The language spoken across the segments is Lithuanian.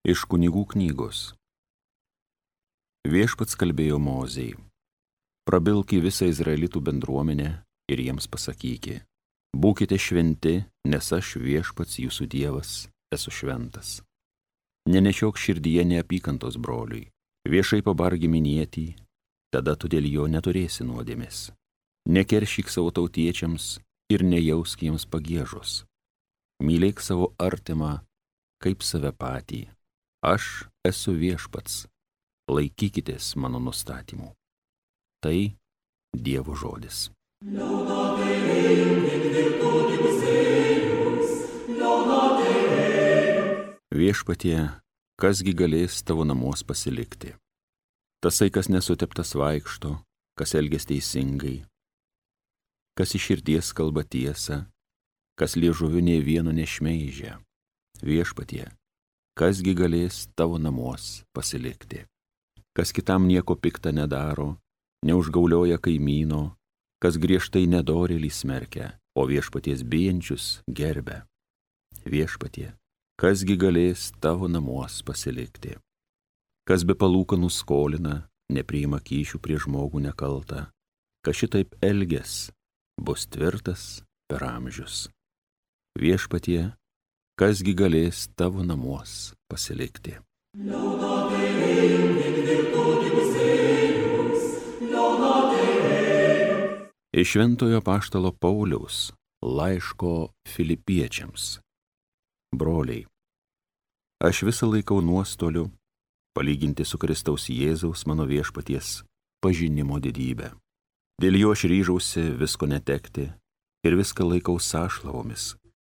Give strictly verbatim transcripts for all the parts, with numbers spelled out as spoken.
Iš Kunigų knygos. Viešpats kalbėjo Mozei: prabilk į visą Izraelitų bendruomenę ir jiems pasakyki: būkite šventi, nes aš, Viešpats jūsų Dievas, esu šventas. Nenešiok širdyje neapykantos broliui, viešai pabargi minėtį, tada tu dėl jo neturėsi nuodėmės. Nekeršyk savo tautiečiams ir nejausk jiems pagiežos. Mylėk savo artimą kaip save patį. Aš esu Viešpats, laikykitės mano nustatymų. Tai Dievo žodis. Viešpatie, kasgi galės tavo namuos pasilikti? Tasai, kas nesuteptas vaikšto, kas elgias teisingai, kas iš širdies kalba tiesą, kas liežuviu nė vieno nešmeižia. Viešpatie, kasgi galės tavo namuos pasilikti? Kas kitam nieko pikta nedaro, neužgaulioja kaimyno, kas griežtai nedorėlį smerkia, o Viešpaties bijančius gerbia. Viešpatie, kasgi galės tavo namuos pasilikti? Kas be palūkanų skolina, nepriima kyšių prie žmogų nekaltą, kas šitaip elges, bus tvirtas per amžius. Viešpatie, kasgi galės tavo namuos pasilikti? Iš Šventojo apaštalo Pauliaus laiško Filipiečiams. Broliai, aš visą laikau nuostoliu palyginti su Kristaus Jėzaus mano Viešpaties pažinimo didybę. Dėl jo aš ryžausi visko netekti ir viską laikau sąšlavomis,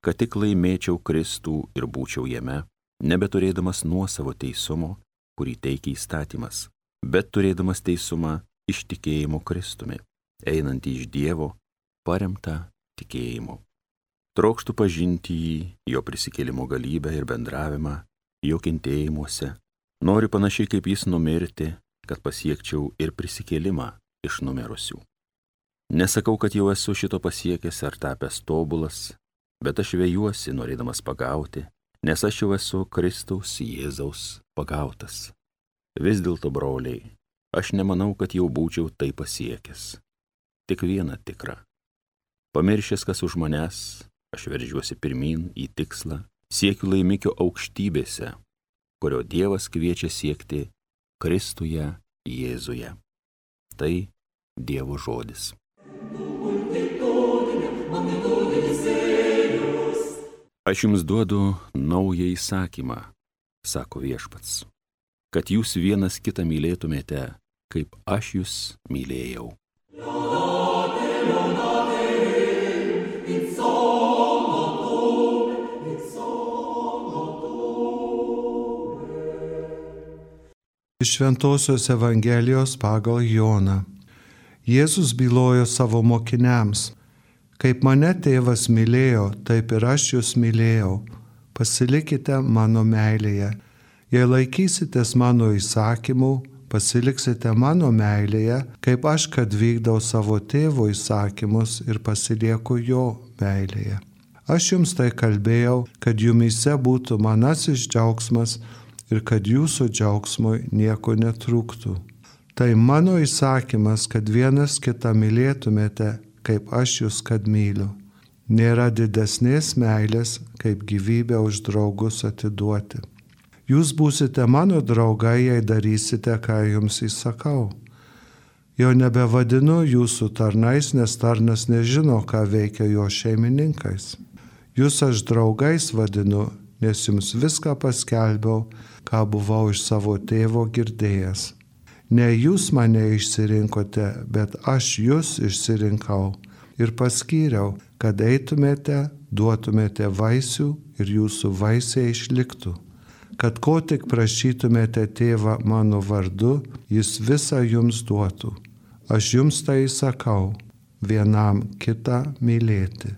kad tik laimėčiau Kristų ir būčiau jame, nebeturėdamas nuosavo teisumo, kurį teikia įstatymas, bet turėdamas teisumą iš tikėjimo Kristumi, einantį iš Dievo, paremtą tikėjimu. Trokštu pažinti jį, jo prisikėlimo galybę ir bendravimą, jo kentėjimuose. Noriu panašiai kaip jis numirti, kad pasiekčiau ir prisikėlimą iš numirusių. Nesakau, kad jau esu šito pasiekęs ar tapęs tobulas, bet aš vejuosi, norėdamas pagauti, nes aš jau esu Kristaus Jėzaus pagautas. Vis dėlto, broliai, aš nemanau, kad jau būčiau tai pasiekęs. Tik viena tikra. Pamiršęs, kas už manęs, aš veržiuosi pirmin į tikslą, siekiu laimikio aukštybėse, kurio Dievas kviečia siekti Kristuje Jėzuje. Tai Dievo žodis. Aš jums duodu naują įsakymą, sako Viešpats, kad jūs vienas kitą mylėtumėte, kaip aš jūs mylėjau. Iš Šventosios Evangelijos pagal Joną. Jėzus bylojo savo mokiniams: kaip mane tėvas mylėjo, taip ir aš jūs mylėjau. Pasilikite mano meilėje. Jei laikysitės mano įsakymų, pasiliksite mano meilėje, kaip aš, kad vykdau savo tėvo įsakymus ir pasilieku jo meilėje. Aš jums tai kalbėjau, kad jumyse būtų manasis džiaugsmas ir kad jūsų džiaugsmui nieko netrūktų. Tai mano įsakymas, kad vienas kitą mylėtumėte, kaip aš jūs kad myliu. Nėra didesnės meilės, kaip gyvybę už draugus atiduoti. Jūs būsite mano draugai, jei darysite, ką jums įsakau. Jau nebevadinu jūsų tarnais, nes tarnas nežino, ką veikia jo šeimininkais. Jūs aš draugais vadinu, nes jums viską paskelbiau, ką buvau iš savo tėvo girdėjęs. Ne jūs mane išsirinkote, bet aš jūs išsirinkau ir paskyriau, kad eitumėte, duotumėte vaisių ir jūsų vaisiai išliktų. Kad ko tik prašytumėte tėvą mano vardu, jis visą jums duotų. Aš jums tai sakau, vienam kitą mylėti.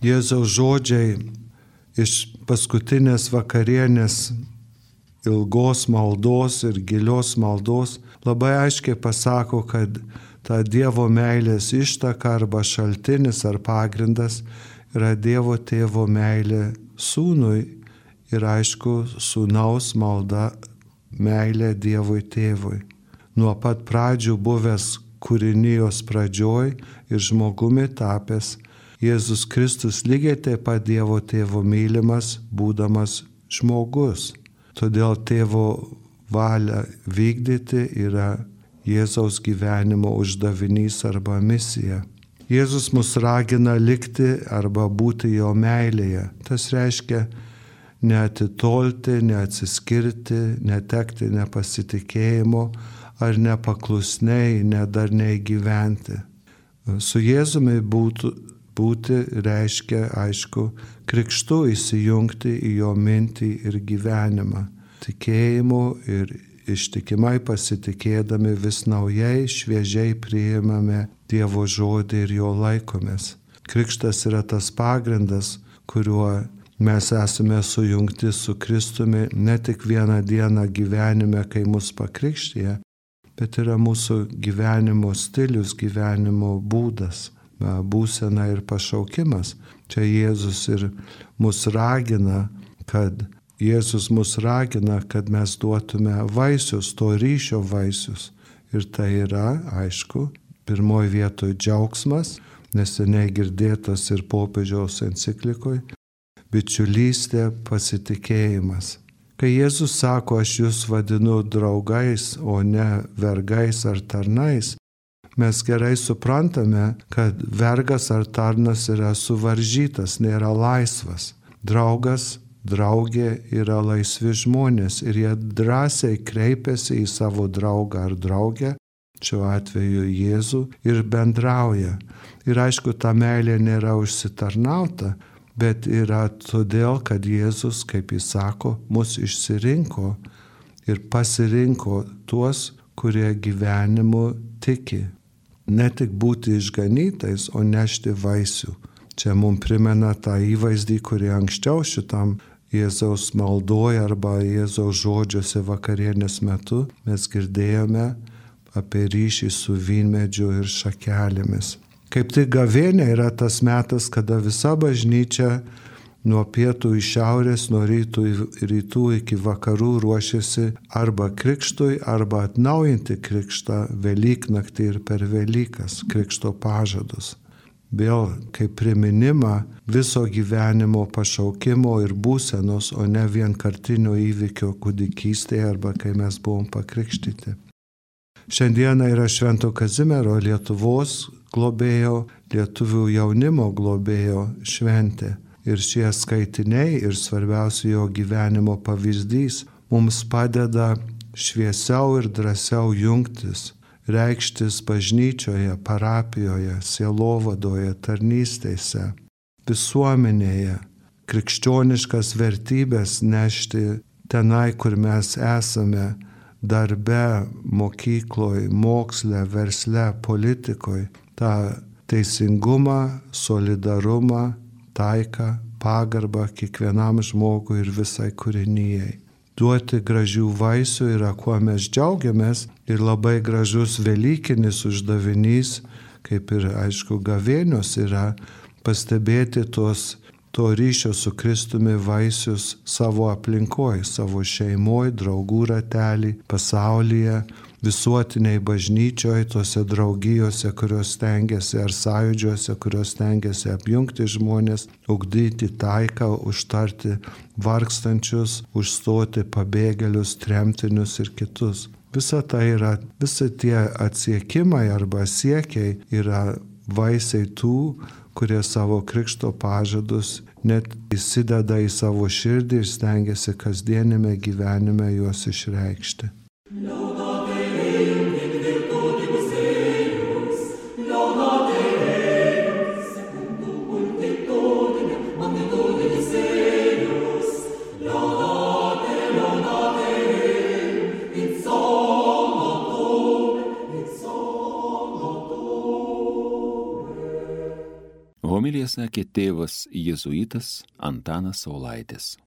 Jėzaus žodžiai iš paskutinės vakarienės ilgos maldos ir gilios maldos labai aiškiai pasako, kad ta Dievo meilės ištaka arba šaltinis ar pagrindas yra Dievo tėvo meilė sūnui ir aišku sūnaus malda meilė Dievui tėvui. Nuo pat pradžių buvęs kūrinijos pradžioj ir žmogumi tapęs, Jėzus Kristus lygiai taip pat Dievo tėvo mylimas, būdamas žmogus. Todėl tėvo valią vykdyti yra Jėzaus gyvenimo uždavinys arba misija. Jėzus mus ragina likti arba būti jo meilėje. Tas reiškia neatitolti, neatsiskirti, netekti nepasitikėjimo ar nepaklusniai, nedarniai gyventi. Su Jėzumi būtų, būti reiškia, aišku, krikštu įsijungti į jo mintį ir gyvenimą. Tikėjimu ir ištikimai pasitikėdami vis naujai, šviežiai priimame Dievo žodį ir jo laikomės. Krikštas yra tas pagrindas, kuriuo mes esame sujungti su Kristumi ne tik vieną dieną gyvenime, kai mus pakrikštija, bet yra mūsų gyvenimo stilius, gyvenimo būdas, būsena ir pašaukimas. Čia Jėzus ir mus ragina, kad Jėzus mus ragina, kad mes duotume vaisius, to ryšio vaisius. Ir tai yra, aišku, pirmoji vietoje džiaugsmas, neseniai girdėtas ir popiežiaus enciklikoje, bičiulystė, pasitikėjimas. Kai Jėzus sako, aš jūs vadinu draugais, o ne vergais ar tarnais, mes gerai suprantame, kad vergas ar tarnas yra suvaržytas, nėra laisvas. Draugas, draugė yra laisvi žmonės ir jie drąsiai kreipiasi į savo draugą ar draugę, šiuo atveju Jėzų, ir bendrauja. Ir aišku, ta meilė nėra užsitarnauta, bet yra todėl, kad Jėzus, kaip jis sako, mus išsirinko ir pasirinko tuos, kurie gyvenimu tiki. Ne tik būti išganytais, o nešti vaisių. Čia mums primena tą įvaizdį, kurį anksčiau šitam Jėzaus maldoje arba Jėzaus žodžiuose vakarienės metu mes girdėjome apie ryšį su vynmedžiu ir šakelėmis. Kaip tik gavėnia yra tas metas, kada visa bažnyčia nuo pietų į šiaurės, nuo rytų į rytų iki vakarų ruošiasi arba krikštui, arba atnaujinti krikštą Velyknaktį ir per Velykas, krikšto pažadus. Vėl kaip priminimą viso gyvenimo pašaukimo ir būsenos, o ne vienkartinio įvykio kūdikystėje arba kai mes buvom pakrikštyti. Šiandieną yra Švento Kazimiero Lietuvos globėjo, lietuvių jaunimo globėjo šventė. Ir šie skaitiniai ir svarbiausia jo gyvenimo pavyzdys mums padeda šviesiau ir drąsiau jungtis, reikštis bažnyčioje, parapijoje, sielovadoje, tarnystėse, visuomenėje, krikščioniškas vertybės nešti tenai, kur mes esame, darbe, mokykloje, moksle, versle, politikoje, tą teisingumą, solidarumą, taiką, pagarbą kiekvienam žmogui ir visai kūrinijai. Duoti gražių vaisių yra, kuo mes džiaugiamės, ir labai gražus velykinis uždavinys, kaip ir aišku gavėnios yra, pastebėti tos, to ryšio su Kristumi vaisius savo aplinkoje, savo šeimoje, draugų ratelį, pasaulyje, visuotiniai bažnyčioje, tose draugijose, kurios stengiasi, ar sąjūdžiuose, kurios stengiasi apjungti žmonės, ugdyti taiką, užtarti vargstančius, užstoti pabėgėlius, tremtinius ir kitus. Visa tai yra, visi tie atsiekimai arba siekiai yra vaisiai tų, kurie savo krikšto pažadus net įsideda į savo širdį ir stengiasi kasdienime gyvenime juos išreikšti. Homiliją sakė tėvas jėzuitas Antanas Saulaitis.